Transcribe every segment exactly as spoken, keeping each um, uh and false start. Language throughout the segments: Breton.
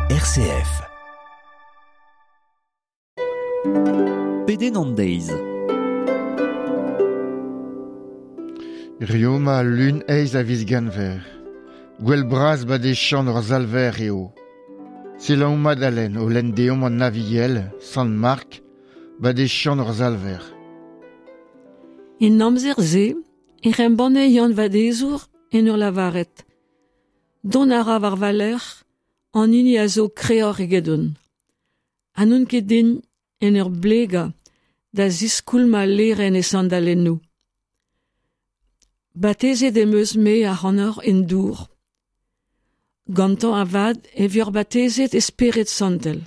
R C F. Pedenn an deiz. Rioma lun eiz a viz genver. Gwell bras badechan ur zalver eo. Selaou Madalen o lenn deomp an Aviel, Sant Mark, badechan ur zalver. En amzer ze, e rembanne Yann Vadezour en ur lavaret. Don a ra war valer, an hini a zo kreor egedon. Ha n'on ket din en ur blega da ziskoulma leren e sandalennoù. Batezet em eus me ac'hanoc'h en dour. Gantañ avad e vioc'h batezet e spered santel.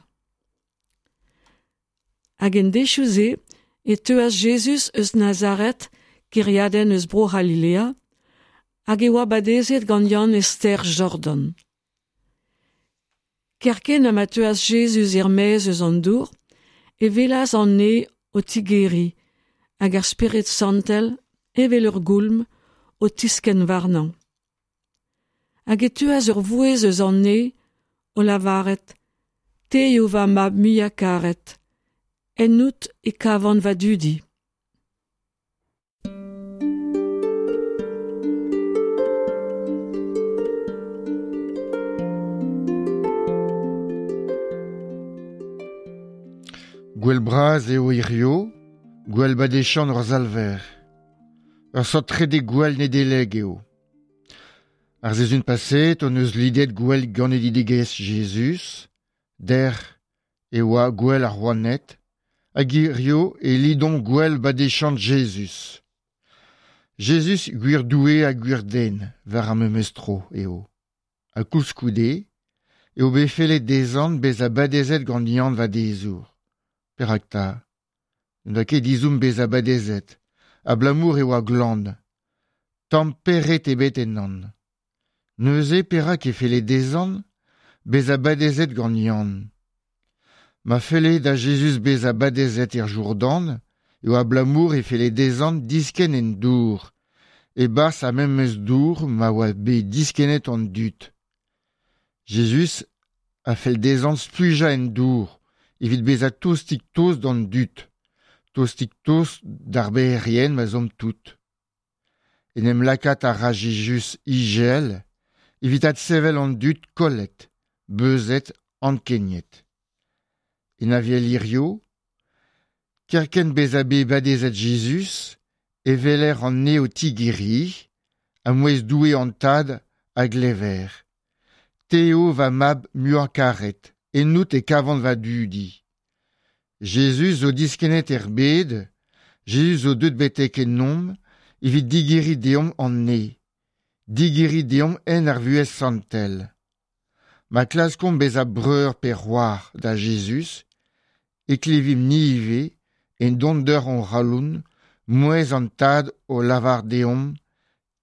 Hag en dechoù-se e teuas Jezuz eus Nazaret, kêriadenn eus bro C'halilea, hag e oa badezet gant Yann e stêr Jordan. Kerkent ha ma teuas Jezuz er-maez eus an dour, e welas an neñv o tigeriñ hag ar spered santel, evel ur goulm, o tiskenn warnañ. Hag e teuas ur vouezh eus an neñv o lavaret, Te eo va mab muiañ karet, ennout e kavan va dudi. Gwell bras eo hirio, gwell badechan ur zalver. Ur sort trede gwell Nedeleg eo. Ar sezun paset on eus lidet gwell ganedigezh Jezuz, der e oa gwell ar rouaned, hag hirio e lidon gwell badechan Jezuz. Jezuz gwir Doue ha gwir den war ar memes tro eo. Ha koulskoude eo bet fellet dezhan bezañ badezet gant Yann Vadezour. Perak 'ta? N'oa ket dizoum bezañ badezet, abalamour e oa glan. Tamm peret ebet ennan. Neuze perak e felle dezhan bezañ badezet gant Yann. Ma felle da Jezuz bezañ badezet er Jourdan, eo abalamour e felle dezhan diskenn en dour, e-barzh ar memes dour ma oa bet diskennet an dud. Jezuz a fell dezhan splujañ en dour, evit bezañ tostik-tost d'an dud, tostik-tost d'ar bec'herien ma zomp tout. En em lakaat a ra Jezuz igel, evit adsevel an dud kollet, beuzet, ankeniet. En Aviel hirio, kerkent bezañ bet badezet Jezuz, e weler an neñv o tigeriñ, ha mouezh Doue an Tad a glever. Te eo va mab muiañ karet, ennout e kavan va dudi. Jezuz zo diskennet er bed, Jezuz zo deuet betek ennomp, evit digeriñ deomp an neñv, digeriñ deomp en ar vuhez santel. Ma klaskomp bezañ breur pe c'hoar da Jezuz, e klevimp ni ivez, en donder hon c'haloun, mouezh an Tad o lavar deomp,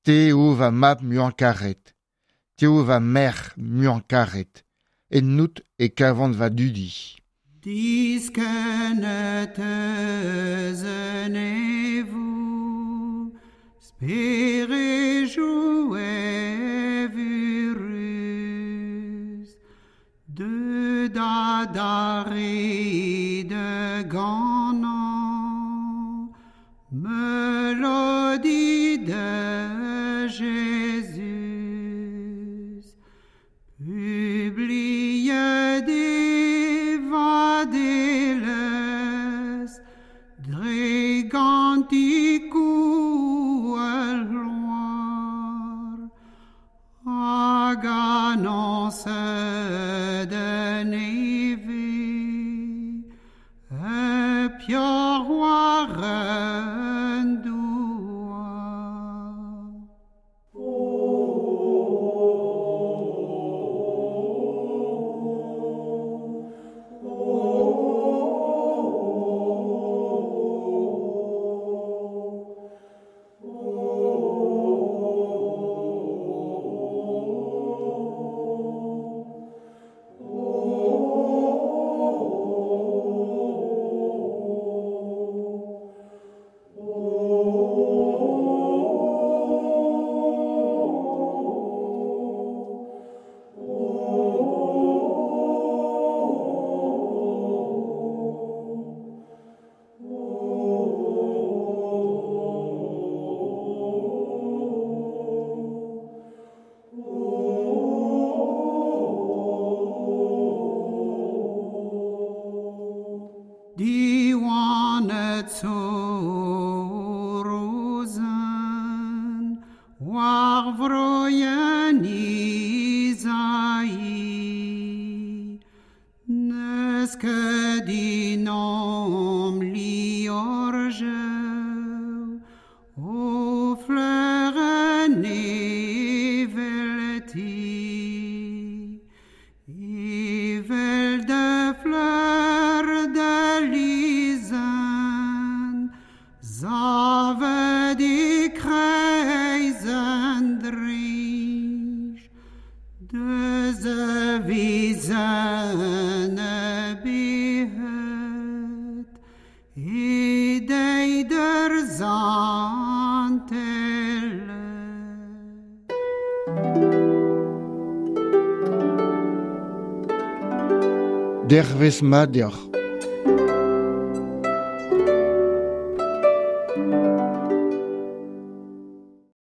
Te eo va mab muiañ karet, te eo va merc'h muiañ karet, ennout e kavan va dudi. Diskennet eus an neñvoù, sperejou evuruz, deut adarre da ganañ, meulodi da Jezuz. Publiet e vadelezh, dre gantikoù al gloar, hag annoñset en nevez, e peoc'h war an douar. Rozen war vroien Izaï Neus ket dinom liorjeu O fleuren evelti Evel de fleur de lizen Zavet e kreiz an drij Deus a vizen a bihet E deider zantele. Dervez mat deoc'h.